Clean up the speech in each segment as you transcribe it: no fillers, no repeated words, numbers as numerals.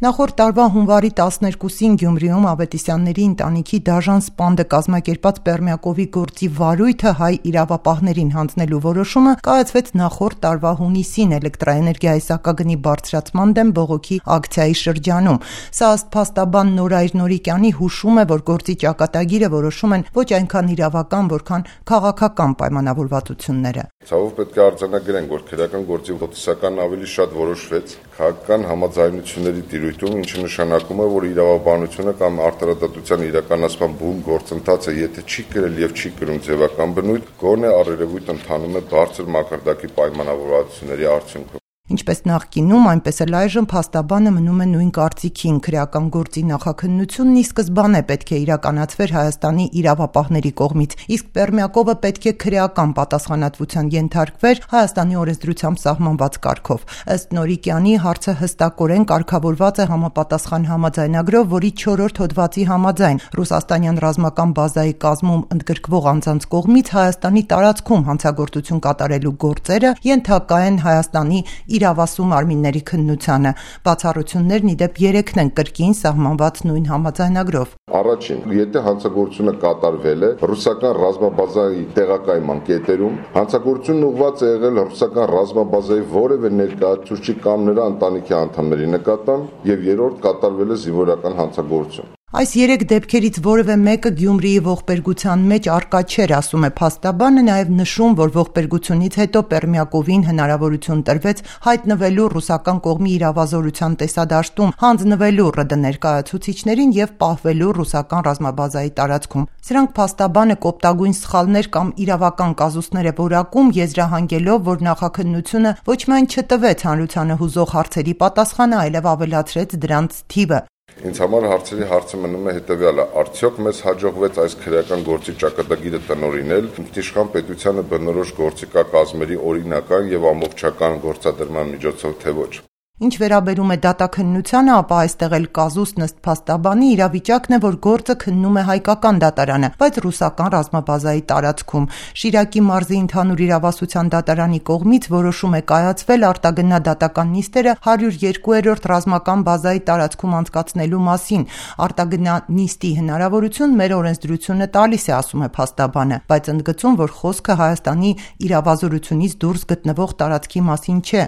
Նախորդ տարվա հունվարի 12-ին Գյումրիում Ավետիսյանների ընտանիքի դաժան սպանդը կազմակերպած Պերմյակովի գործի վարույթը հայ իրավապահներին հանձնելու որոշումը կայացվեց նախորդ տարվա հունիսին էլեկտրաէներգիայի սակագնի բարձրացման դեմ բողոքի ակցիայի շրջանում։ Սա ըստ փաստաբան Նորայր Նորիկյանի հուշում է, որ գործի ճակատագիրը որոշում են ոչ այնքան իրավական, որքան քաղաքական պայմանավորվածությունները։ Ցավով պետք է արձանագրենք, որ քրեական գործի ոտիսական ավելի շատ որոշվեց քաղաքական համաձայնությունների տիրույթում, ինչը նշանակում է, որ իրավաբանությունը կամ արտարադատության իրականացման բուն գործընթացը, եթե չի կրել եւ չի կրում ձևական բնույթ, գոնե առերևույթ ընթանում է բարձր մակարդակի պայմանավորվածությունների արդյունքում։ Ինչպես նախկինում, այնպես էլ այժմ փաստաբանը մնում է նույն կարծիքին։ Քրեական գործի նախաքննությունն ի սկզբանե պետք է իրականացվեր Հայաստանի իրավապահների կողմից, իսկ Պերմյակովը պետք է քրեական պատասխանատվության ենթարկվեր Հայաստանի օրենսդրությամբ սահմանված կարգով։ Ըստ Նորիկյանի, հարցը հստակորեն կարգավորված է համապատասխան համաձայնագրով, որի 4-րդ հոդվածի համաձայն ռուսաստանյան ռազմական բազայի կազմում ընդգրկվող անձանց կողմից Հայաստանի տարածքում հանցագործություն կատարելու գործերը ենթակա են Հայաստանի իրավասու մարմինների քննությանը։ Բացառություններն ի դեպ 3-ն են կրկին սահմանված նույն համաձայնագրով։ Առաջին, եթե հանցագործությունը կատարվել է ռուսական ռազմաբազայի տեղակայման կետերում, հանցագործությունն ուղղված է եղել ռուսական ռազմաբազայի որևէ ներկայացուցիչի կամ նրա ընտանիքի անդամների նկատմամբ, եւ երրորդ կատարվել է զինվորական հանցագործություն։ Այս 3 դեպքերից որևէ մեկը Գյումրիի ողբերգության մեջ առկա չէր, ասում է փաստաբանը, նաև նշում, որ ողբերգությունից հետո Պերմյակովին հնարավորություն տրվեց հայտնվելու ռուսական կողմի իրավազորության տեսադաշտում, հանձնվելու ՌԴ ներկայացուցիչներին եւ պահվելու ռուսական ռազմաբազայի տարածքում։ Սրանք փաստաբանը կոպտագույն սխալներ կամ իրավական կազուսներ է որակում, եզրահանգելով, որ նախաքննությունը ոչ միայն չտվեց հանրությանը հուզող հարցերի պատասխանը, այլև ավելացրեց դրանց թիվը։ Ինձ համար հարցը մնում է հետևյալը. արդյոք մեզ հաջողվեց այս քրեական գործի ճակատագիրը տնօրինել ինքնիշխան պետությանը բնորոշ գործիքա կազմերի օրինական եւ ամբողջական գործադրման միջոցով, թե ոչ։ Ինչ վերաբերում է դատաքննությանը, ապա այստեղ էլ կազուսն ըստ փաստաբանի իրավիճակն է, որ գործը քննում է հայկական դատարանը, բայց ռուսական ռազմաբազայի տարածքում։ Շիրակի մարզի ընդհանուր իրավասության դատարանի կողմից որոշում է կայացվել արտագնահատական նիստերը 102-րդ ռազմական բազայի տարածքում անցկացնելու մասին։ Արտագնահատի հնարավորություն մեր օրենսդրությունը տալիս է, ասում է փաստաբանը, բայց ընդգծում, որ խոսքը Հայաստանի իրավազորությունից դուրս գտնվող տարածքի մասին չէ։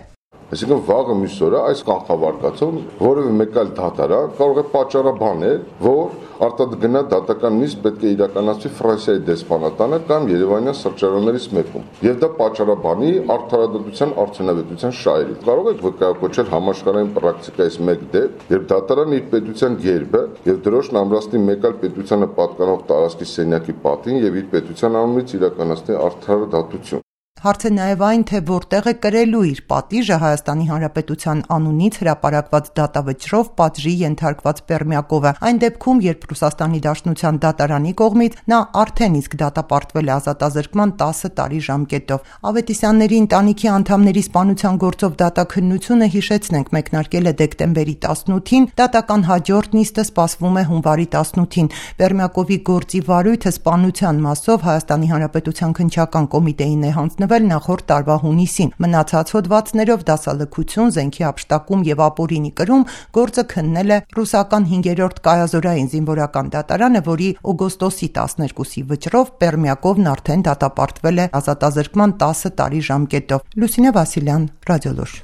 Այսինքն վաղը մյուս օրը այս կանխավարկածով որևէ մեկ այլ դատարան կարող է պատճառաբանել, որ արտագնահ դատական նիստ պետք է իրականացվի Ֆրանսիայի դեսպանատանը կամ Երևանյան սրճարաններից մեկում, եւ դա պատճառաբանի արդարադատության արդյունավետության շահերից։ Կարող եք վկայակոչել համաշխարհային պրակտիկայից մեկ դեպք, երբ դատարանը իր պետության գերբը եւ դրոշն ամրացնի մեկ այլ պետությանը պատկանող տարածքի սենյակի պատին եւ իր պետության անունից իրականացնի արդարադատություն։ Հարցը նաև այն, թե որտեղ է կրելու իր պատիժը Հայաստանի Հանրապետության անունից հրապարակված դատավճռով պատժի ենթարկված Պերմյակովը, այն դեպքում, երբ Ռուսաստանի Դաշնության դատարանի կողմից նա արդեն իսկ դատապարտվել է ազատազրկման 10 տարի ժամկետով։ Ավետիսյանների ընտանիքի անդամների սպանության գործով դատաքննությունը, հիշեցնենք, մեկնարկել է դեկտեմբերի 18-ին, դատական հաջորդ նիստը սպասվում է հունվարի 18-ին։ Պերմյակովի գործի վարույթը սպանության մասով Հայաստանի Հանրապետության քննչական կոմիտեին է հանձնվել նախորդ տարվա հունիսին։ Մնացած հոդվածներով դասալքություն, զենքի հափշտակում եւ ապօրինի կրում գործը քննել է ռուսական 5-րդ կայազորային զինվորական դատարանը, որի օգոստոսի 12-ի վճռով Պերմյակովն արդեն դատապարտվել է ազատազրկման 10 տարի ժամկետով։ Լուսինե Վասիլյան, Ռադիոլուր։